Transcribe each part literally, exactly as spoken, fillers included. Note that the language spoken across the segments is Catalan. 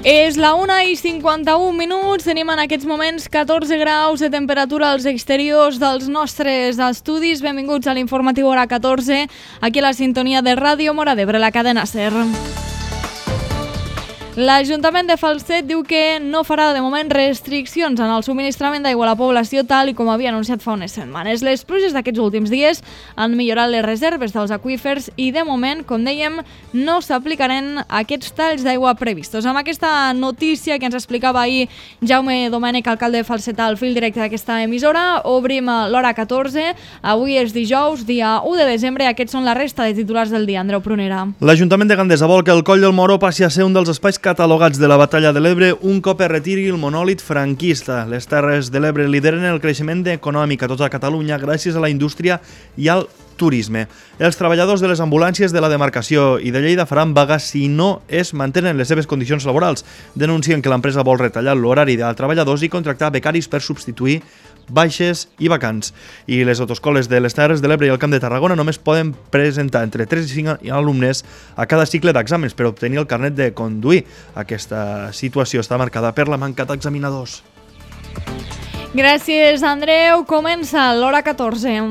És la una i cinquanta-un minuts, tenim en aquests moments catorze graus de temperatura als exteriors dels nostres estudis. Benvinguts a l'informatiu hora catorze, aquí a la sintonia de Ràdio Móra d'Ebre, la cadena SER. L'Ajuntament de Falset diu que no farà de moment restriccions en el subministrament d'aigua a la població tal i com havia anunciat fa unes setmanes. Les pluges d'aquests últims dies han millorat les reserves dels aqüífers i de moment, com dèiem, no s'aplicaran aquests talls d'aigua previstos. Amb aquesta notícia que ens explicava ahir Jaume Domènech, alcalde de Falset, al fil directe d'aquesta emissora, obrim l'hora catorze. Avui és dijous, dia u de desembre, i aquests són la resta de titulars del dia. Andreu Prunera. L'Ajuntament de Gandesa vol que el Coll del Moro passi a ser un dels espais catalogats de la Batalla de l'Ebre un cop es retiri el monòlit franquista. Les Terres de l'Ebre lideren el creixement econòmic a tota Catalunya gràcies a la indústria i al turisme. Els treballadors de les ambulàncies de la demarcació i de Lleida faran vaga si no es mantenen les seves condicions laborals. Denuncien que l'empresa vol retallar l'horari dels treballadors i contractar becaris per substituir baixes i vacants. I les autoescoles de les Terres de l'Ebre i el Camp de Tarragona només poden presentar entre tres i cinc alumnes a cada cicle d'exàmens per obtenir el carnet de conduir. Aquesta situació està marcada per la manca d'examinadors. Gràcies, Andreu. Comença l'hora catorze.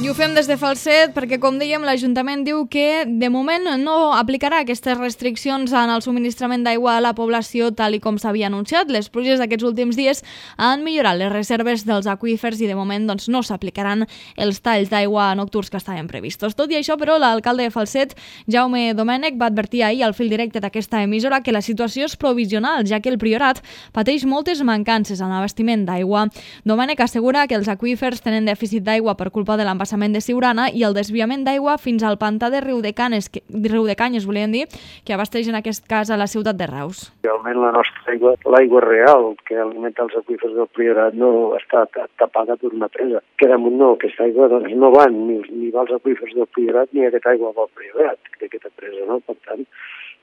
I ho fem des de Falset perquè, com dèiem, l'Ajuntament diu que de moment no aplicarà aquestes restriccions en el subministrament d'aigua a la població tal i com s'havia anunciat. Les pluges d'aquests últims dies han millorat les reserves dels aqüífers i de moment doncs, no s'aplicaran els talls d'aigua nocturns que estaven previstos. Tot i això, però, l'alcalde de Falset, Jaume Domènech, va advertir ahir al fil directe d'aquesta emissora que la situació és provisional, ja que el Priorat pateix moltes mancances en l'abastiment d'aigua. Domènech assegura que els aqüífers tenen dèficit d'aigua per culpa de l'embassament de Siurana i el desviament d'aigua fins al pantà de Riudecanes, que, Riudecanyes, volien dir, que abasteix en aquest cas a la ciutat de Reus. Realment la nostra aigua, l'aigua real que alimenta els aqüífers del Priorat no està tapada per una presa. Que damunt no, aquesta aigua doncs, no van ni, ni va als aqüífers del Priorat ni aquesta aigua va al Priorat, d'aquesta presa, no? Per tant,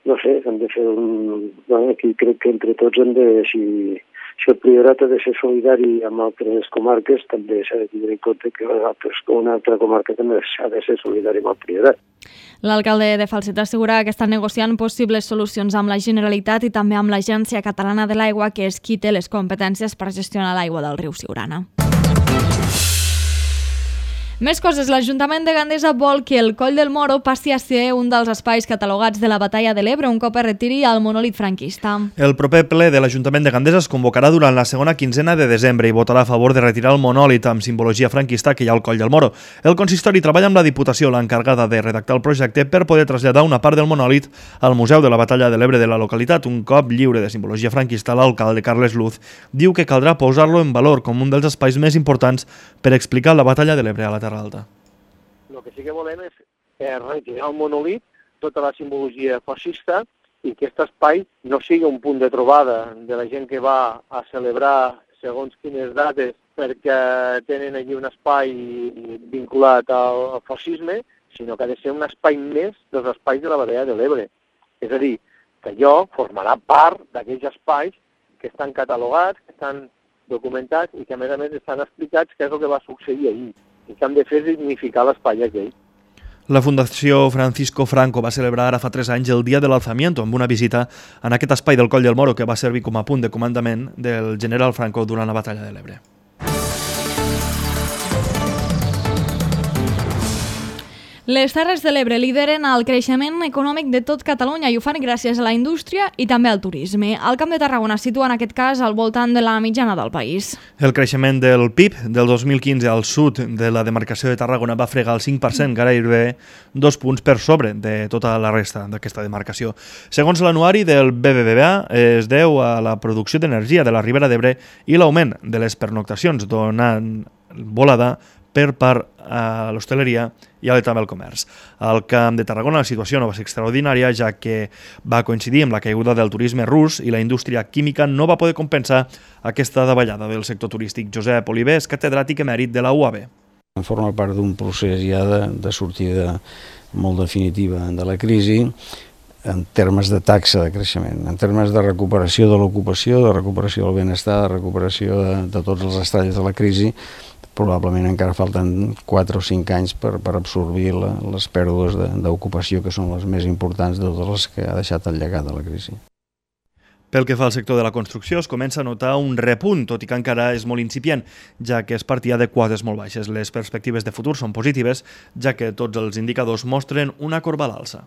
no sé, hem de fer un... Bueno, aquí crec que entre tots hem de... Si... Si el Priorat ha de ser solidari amb altres comarques, també s'ha de tenir en compte que altres, una altra comarca també s'ha de ser solidari amb el Priorat. L'alcalde de Falset assegura que estan negociant possibles solucions amb la Generalitat i també amb l'Agència Catalana de l'Aigua, que és qui té les competències per gestionar l'aigua del riu Siurana. Més coses. L'Ajuntament de Gandesa vol que el Coll del Moro passi a ser un dels espais catalogats de la Batalla de l'Ebre un cop es retiri el monòlit franquista. El proper ple de l'Ajuntament de Gandesa es convocarà durant la segona quinzena de desembre i votarà a favor de retirar el monòlit amb simbologia franquista que hi ha al Coll del Moro. El consistori treballa amb la Diputació, l'encarregada de redactar el projecte, per poder traslladar una part del monòlit al Museu de la Batalla de l'Ebre de la localitat. Un cop lliure de simbologia franquista, l'alcalde Carles Luz diu que caldrà posar-lo en valor com un dels espais més importants per explicar la Batalla de l'Ebre a la Terra Alta. El que sí que volem és eh, retirar el monòlit, tota la simbologia fascista, i que aquest espai no sigui un punt de trobada de la gent que va a celebrar segons quines dates perquè tenen allí un espai vinculat al, al fascisme, sinó que ha de ser un espai més dels espais de la Batalla de l'Ebre. És a dir, que allò formarà part d'aquells espais que estan catalogats, que estan documentats i que a més a més estan explicats què és el que va succeir ahir i que han de fer dignificar l'espai aquell. La Fundació Francisco Franco va celebrar ara fa tres anys el Dia de l'Alzamiento amb una visita en aquest espai del Coll del Moro que va servir com a punt de comandament del general Franco durant la Batalla de l'Ebre. Les Terres de l'Ebre lideren el creixement econòmic de tot Catalunya i ho fan gràcies a la indústria i també al turisme. El Camp de Tarragona situa en aquest cas al voltant de la mitjana del país. El creixement del P I B del dos mil quinze al sud de la demarcació de Tarragona va fregar el cinc per cent, gairebé dos punts per sobre de tota la resta d'aquesta demarcació. Segons l'anuari del B B V A, es deu a la producció d'energia de la Ribera d'Ebre i l'augment de les pernoctacions, donant volada per part a l'hostaleria i també al comerç. Al Camp de Tarragona la situació no va ser extraordinària, ja que va coincidir amb la caiguda del turisme rus i la indústria química no va poder compensar aquesta davallada del sector turístic. Josep Oliver és catedràtic emèrit de la U A B. Forma part d'un procés ja de, de sortida molt definitiva de la crisi en termes de taxa de creixement, en termes de recuperació de l'ocupació, de recuperació del benestar, de recuperació de, de tots els estalls de la crisi, probablement encara falten quatre o cinc anys per, per absorbir la, les pèrdues d'ocupació, que són les més importants de totes les que ha deixat el llegat de la crisi. Pel que fa al sector de la construcció, es comença a notar un repunt, tot i que encara és molt incipient, ja que es partia de quotes molt baixes. Les perspectives de futur són positives, ja que tots els indicadors mostren una corba a l'alça.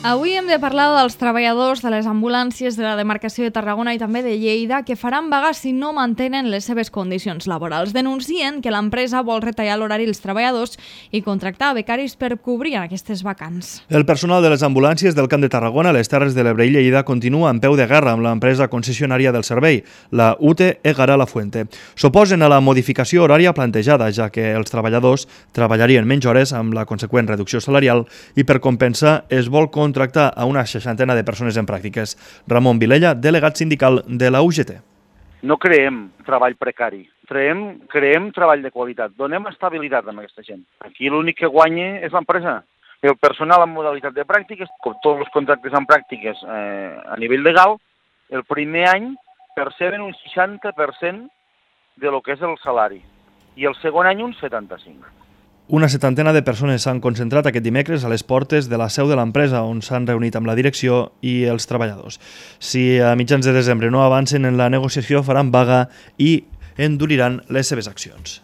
Avui hem de parlar dels treballadors de les ambulàncies de la demarcació de Tarragona i també de Lleida que faran vaga si no mantenen les seves condicions laborals. Denuncien que l'empresa vol retallar l'horari dels treballadors i contractar becaris per cobrir aquestes vacants. El personal de les ambulàncies del Camp de Tarragona, les Terres de l'Ebre i Lleida continua en peu de guerra amb l'empresa concessionària del servei, la U T E Egara La Fuente. S'oposen a la modificació horària plantejada, ja que els treballadors treballarien menys hores amb la conseqüent reducció salarial i per compensar es vol contractar tractar a una seixantena de persones en pràctiques. Ramon Vilella, delegat sindical de la U G T. No creem treball precari, creem, creem treball de qualitat, donem estabilitat a aquesta gent. Aquí l'únic que guanya és l'empresa. El personal en modalitat de pràctiques, com tots els contractes en pràctiques eh, a nivell legal, el primer any perceben un seixanta per cent de lo que és el salari i el segon any un setanta-cinc per cent. Una setantena de persones s'han concentrat aquest dimecres a les portes de la seu de l'empresa, on s'han reunit amb la direcció i els treballadors. Si a mitjans de desembre no avancen en la negociació, faran vaga i enduriran les seves accions.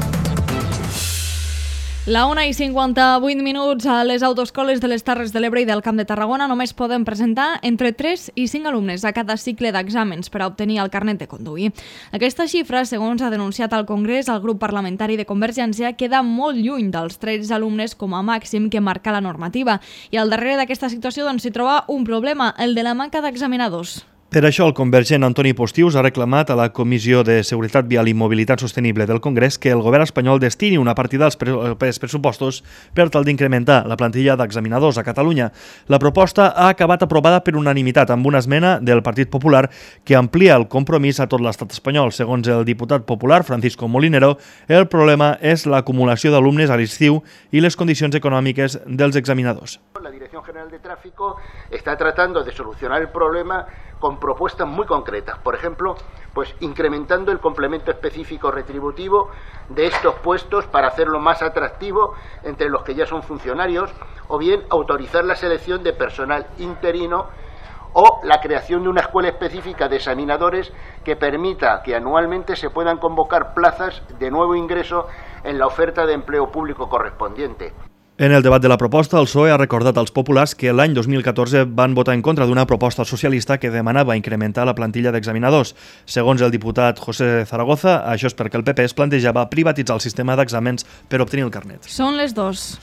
La una i cinquanta-vuit minuts a les autoescoles de les Terres de l'Ebre i del Camp de Tarragona només poden presentar entre tres i cinc alumnes a cada cicle d'exàmens per a obtenir el carnet de conduir. Aquesta xifra, segons ha denunciat al Congrés el grup parlamentari de Convergència, queda molt lluny dels tretze alumnes com a màxim que marca la normativa. I al darrere d'aquesta situació doncs, s'hi troba un problema, el de la manca d'examinadors. Per això, el convergent Antoni Postius ha reclamat a la Comissió de Seguretat Vial i Mobilitat Sostenible del Congrés que el govern espanyol destini una partida als pressupostos per tal d'incrementar la plantilla d'examinadors a Catalunya. La proposta ha acabat aprovada per unanimitat amb una esmena del Partit Popular que amplia el compromís a tot l'estat espanyol. Segons el diputat popular Francisco Molinero, el problema és l'acumulació d'alumnes a l'estiu i les condicions econòmiques dels examinadors. La Dirección General de Tráfico está tratando de solucionar el problema con propuestas muy concretas, por ejemplo, pues incrementando el complemento específico retributivo de estos puestos para hacerlo más atractivo entre los que ya son funcionarios, o bien autorizar la selección de personal interino o la creación de una escuela específica de examinadores que permita que anualmente se puedan convocar plazas de nuevo ingreso en la oferta de empleo público correspondiente. En el debat de la proposta, el P S O E ha recordat als populars que l'any dos mil catorze van votar en contra d'una proposta socialista que demanava incrementar la plantilla d'examinadors. Segons el diputat José Zaragoza, això és perquè el P P es plantejava privatitzar el sistema d'exàmens per obtenir el carnet. Són les dues.